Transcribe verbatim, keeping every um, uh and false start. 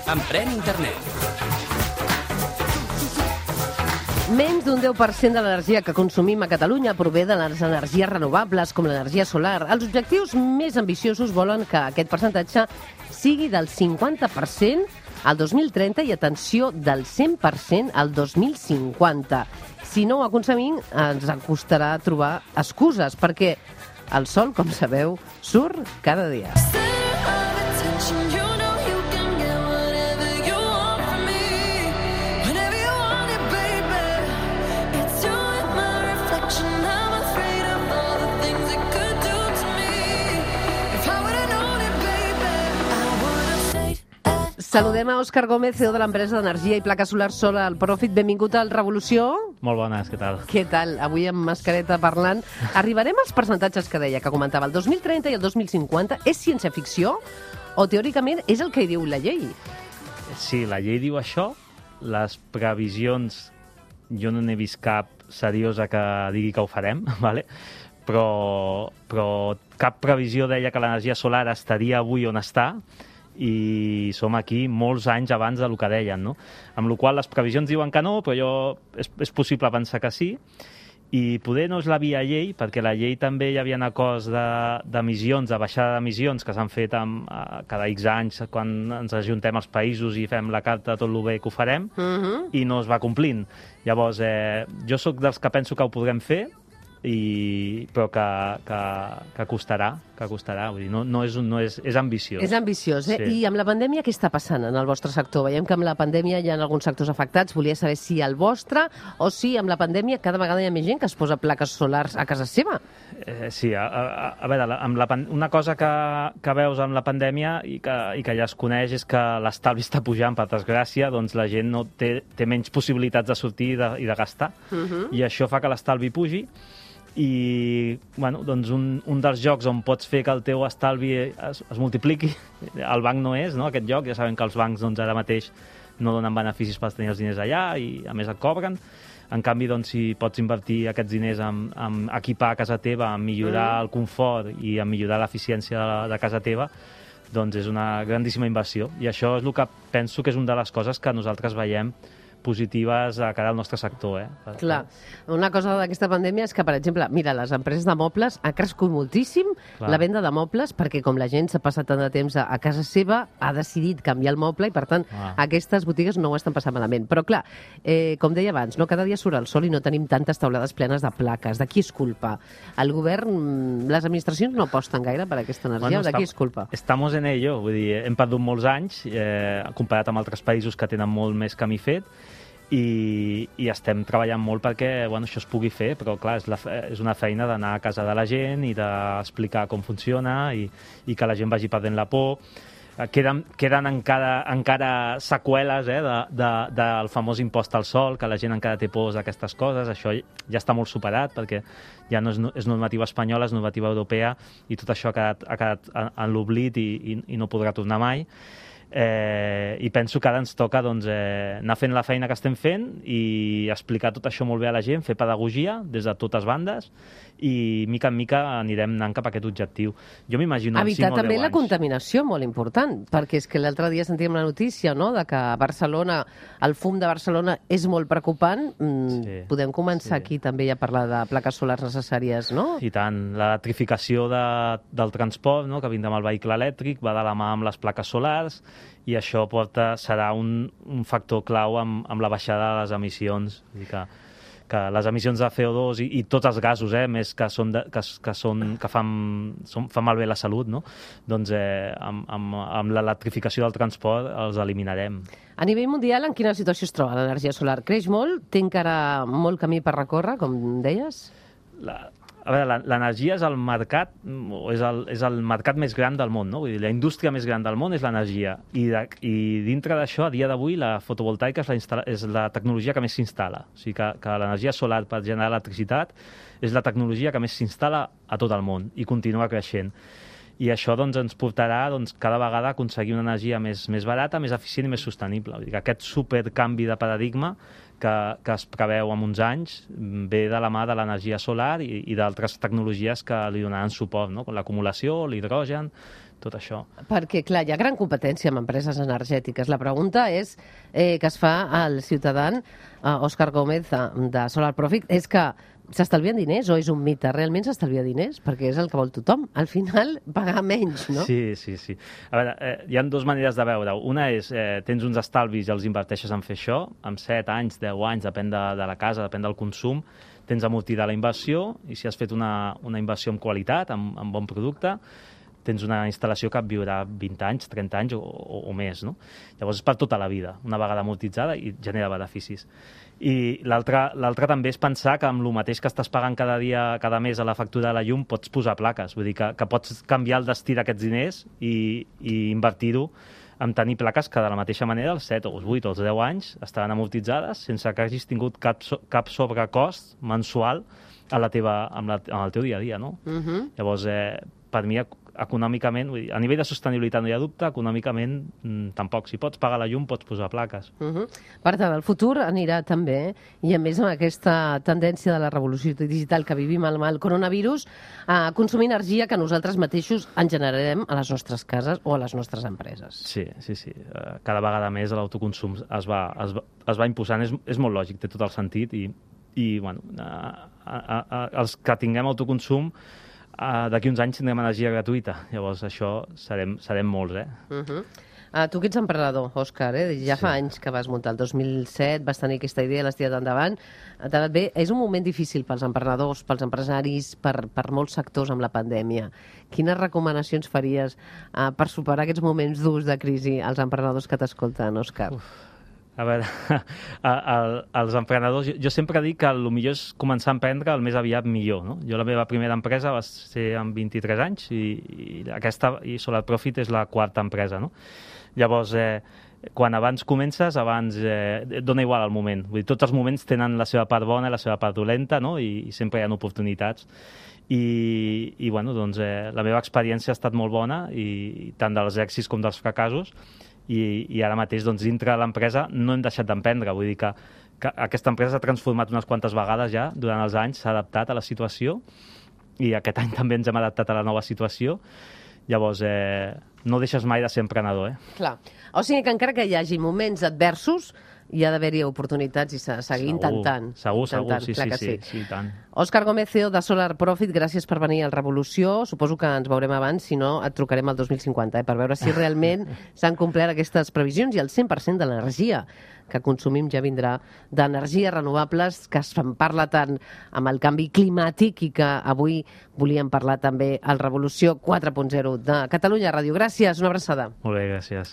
Emprèn internet. Menys d'un deu per cent de l'energia que consumim a Catalunya prové de les energies renovables, com l'energia solar. Els objectius més ambiciosos volen que aquest percentatge sigui del cinquanta per cent al dos mil trenta i, atenció, del cent per cent al dos mil cinquanta. Si no ho aconseguim, ens costarà trobar excuses, perquè el sol, com sabeu, surt cada dia. Saludem a Òscar Gómez, C E O de l'empresa d'energia i placa solar Solar Profit. Benvingut al Revolució. Molt bones, què tal? Què tal? Avui amb mascareta parlant. Arribarem als percentatges que deia, que comentava. El dos mil trenta i el dos mil cinquanta és ciència-ficció o teòricament és el que diu la llei? Sí, la llei diu això. Les previsions, jo no n'he vist cap seriosa que digui que ho farem, vale? però, però cap previsió deia que l'energia solar estaria avui on està, i som aquí molts anys abans del que deien, no? Amb la qual cosa les previsions diuen que no, però jo, és, és possible pensar que sí, i poder no és la via llei, perquè la llei també hi havia acords d'emissions, de, de baixada d'emissions, que s'han fet amb, uh, cada X anys, quan ens ajuntem els països i fem la carta tot el bé que ho farem, uh-huh. i no es va complint. Llavors, eh, jo sóc dels que penso que ho podrem fer, i però que, que, que costarà, que costarà, vull dir, no, no és, un, no és, és ambiciós. És ambiciós, eh? Sí. I amb la pandèmia què està passant en el vostre sector? Veiem que amb la pandèmia hi ha alguns sectors afectats. Volia saber si el vostre o si amb la pandèmia cada vegada hi ha més gent que es posa plaques solars a casa seva. Eh, sí, a, a, a veure, amb la, una cosa que, que veus amb la pandèmia i que, i que ja es coneix és que l'estalvi està pujant, per desgràcia, doncs la gent no té, té menys possibilitats de sortir i de, i de gastar. Uh-huh. I això fa que l'estalvi pugi. I bueno, doncs un, un dels jocs on pots fer que el teu estalvi es, es multipliqui, el banc no és, no, aquest joc, ja sabem que els bancs doncs, ara mateix no donen beneficis per tenir els diners allà i a més et cobren. En canvi, doncs, si pots invertir aquests diners en, en equipar casa teva, en millorar mm. el confort i en millorar l'eficiència de, de casa teva, doncs és una grandíssima inversió. I això és el que penso que és una de les coses que nosaltres veiem positives a cara al nostre sector. Eh? Clar, una cosa d'aquesta pandèmia és que, per exemple, mira, les empreses de mobles ha crescut moltíssim clar. La venda de mobles, perquè com la gent s'ha passat tant de temps a, a casa seva, ha decidit canviar el moble i, per tant, ah. aquestes botigues no ho estan passant malament. Però, clar, eh, com deia abans, no? Cada dia surt el sol i no tenim tantes taulades plenes de plaques. De qui és culpa? El govern, les administracions no aposten gaire per aquesta energia, bueno, o de qui és culpa? Estamos en ello, vull dir, hem perdut molts anys, eh, comparat amb altres països que tenen molt més camí fet, I, i estem treballant molt perquè bueno, això es pugui fer, però clar, és, la, és una feina d'anar a casa de la gent i d'explicar com funciona i, i que la gent vagi perdent la por. Queden, queden encara, encara seqüeles eh, de, de, del famós impost al sol, que la gent encara té pors d'aquestes coses. Això ja està molt superat perquè ja no és, és normativa espanyola, és normativa europea i tot això ha quedat, ha quedat en l'oblit i, i, i no podrà tornar mai. Eh, i penso que ara ens toca doncs, eh, anar fent la feina que estem fent i explicar tot això molt bé a la gent, fer pedagogia des de totes bandes i mica en mica anirem anant cap a aquest objectiu. Jo m'imagino en cinc o deu anys. Evitar també la contaminació, molt important, perquè és que l'altre dia sentíem la notícia, no?, de que a Barcelona, el fum de Barcelona és molt preocupant. Mm, sí, podem començar sí. aquí també a parlar de plaques solars necessàries, no? I tant. L'electrificació de, del transport, no?, que vindrà amb el vehicle elèctric, va de la mà amb les plaques solars, i això porta, serà un, un factor clau amb, amb la baixada de les emissions. Vull dir que, que les emissions de C O dos i, i tots els gasos, eh, més que, són de, que, que, són, que fan, són, fan malbé la salut, no? Doncs eh, amb, amb, amb l'electrificació del transport els eliminarem. A nivell mundial, en quina situació es troba l'energia solar? Creix molt? Té encara molt camí per recórrer, com deies? La... A veure, l'energia és el mercat, és el, és el mercat més gran del món, no? Vull dir, la indústria més gran del món és l'energia. I, de, I dintre d'això, a dia d'avui, la fotovoltaica és la, és la tecnologia que més s'instal·la. O sigui que, que l'energia solar per generar electricitat és la tecnologia que més s'instal·la a tot el món i continua creixent. i això doncs, ens portarà doncs, cada vegada a aconseguir una energia més, més barata, més eficient i més sostenible. Vull dir que aquest supercanvi de paradigma que, que es preveu en uns anys ve de la mà de l'energia solar i, i d'altres tecnologies que li donaran suport, no? Com l'acumulació, l'hidrogen, tot això. Perquè, clar, hi ha gran competència amb empreses energètiques. La pregunta és eh, que es fa al ciutadà eh, Òscar Gómez de, de Solar Profit, és que s'estalvien diners o és un mite? Realment s'estalvia diners? Perquè és el que vol tothom. Al final, pagar menys, no? Sí, sí, sí. A veure, eh, hi ha dues maneres de veure-ho. Una és, eh, tens uns estalvis i els inverteixes en fer això, amb set anys, deu anys, depèn de, de la casa, depèn del consum, tens amortida la inversió, i si has fet una, una inversió amb qualitat, amb, amb bon producte, tens una instal·lació que et viurà vint anys, trenta anys o, o, o més, no? Llavors és per tota la vida, una vegada amortitzada i genera beneficis. I l'altre també és pensar que amb el mateix que estàs pagant cada dia, cada mes a la factura de la llum, pots posar plaques. Vull dir que, que pots canviar el destí d'aquests diners i, i invertir-ho en tenir plaques que de la mateixa manera els set o els vuit o els deu anys estaran amortitzades sense que hagis tingut cap, so, cap sobrecost mensual a la teva, amb la, en el teu dia a dia, no? Uh-huh. Llavors, eh, per mi, econòmicament, vull dir, a nivell de sostenibilitat no hi ha dubte, econòmicament mm, tampoc. Si pots pagar la llum, pots posar plaques. Uh-huh. Per tant, el futur anirà també, i a més amb aquesta tendència de la revolució digital que vivim amb el coronavirus, a consumir energia que nosaltres mateixos en generarem a les nostres cases o a les nostres empreses. Sí, sí, sí. Cada vegada més l'autoconsum es va, es va, es va imposant. És, és molt lògic, té tot el sentit, i, i bueno, a, a, a, els que tinguem autoconsum Uh, d'aquí uns anys tindrem energia gratuïta. Llavors, això serem, serem molts, eh? Uh-huh. Uh, tu que ets emprenedor, Òscar, eh? Ja sí. Fa anys que vas muntar. El dos mil set vas tenir aquesta idea, l'has tirat endavant. T'ha anat bé. És un moment difícil pels emprenedors, pels empresaris, per, per molts sectors amb la pandèmia. Quines recomanacions faries uh, per superar aquests moments durs de crisi als emprenedors que t'escolten, Òscar? Uf. A veure, a, a, als emprenedors, jo, jo sempre dic que el millor és començar a emprendre el més aviat millor, no? Jo la meva primera empresa va ser amb vint-i-tres anys i, i aquesta, i Solar Profit és la quarta empresa, no? Llavors, eh, quan abans comences, abans eh, dona igual el moment. Vull dir, tots els moments tenen la seva part bona i la seva part dolenta, no? I, i sempre hi ha oportunitats. I, i bueno, doncs, eh, la meva experiència ha estat molt bona, i, tant dels èxits com dels fracassos, i, i ara mateix doncs, dintre de l'empresa no hem deixat d'emprendre. Vull dir que, que aquesta empresa s'ha transformat unes quantes vegades ja durant els anys, s'ha adaptat a la situació, i aquest any també ens hem adaptat a la nova situació. Llavors, eh, no deixes mai de ser emprenedor, eh? Clar. O sigui que encara que hi hagi moments adversos, hi ha d'haver-hi oportunitats i s'ha de seguir intentant. Segur, intentant. segur, sí, sí, sí, sí, sí, tant. Òscar Gómez, C E O de Solar Profit, gràcies per venir al Revolució. Suposo que ens veurem abans, si no et trucarem el dos mil cinquanta, eh, per veure si realment s'han complert aquestes previsions i el cent per cent de l'energia que consumim ja vindrà d'energies renovables, que es parla tant amb el canvi climàtic i que avui volíem parlar també al Revolució quatre punt zero de Catalunya Ràdio. Gràcies, una abraçada. Molt bé, gràcies.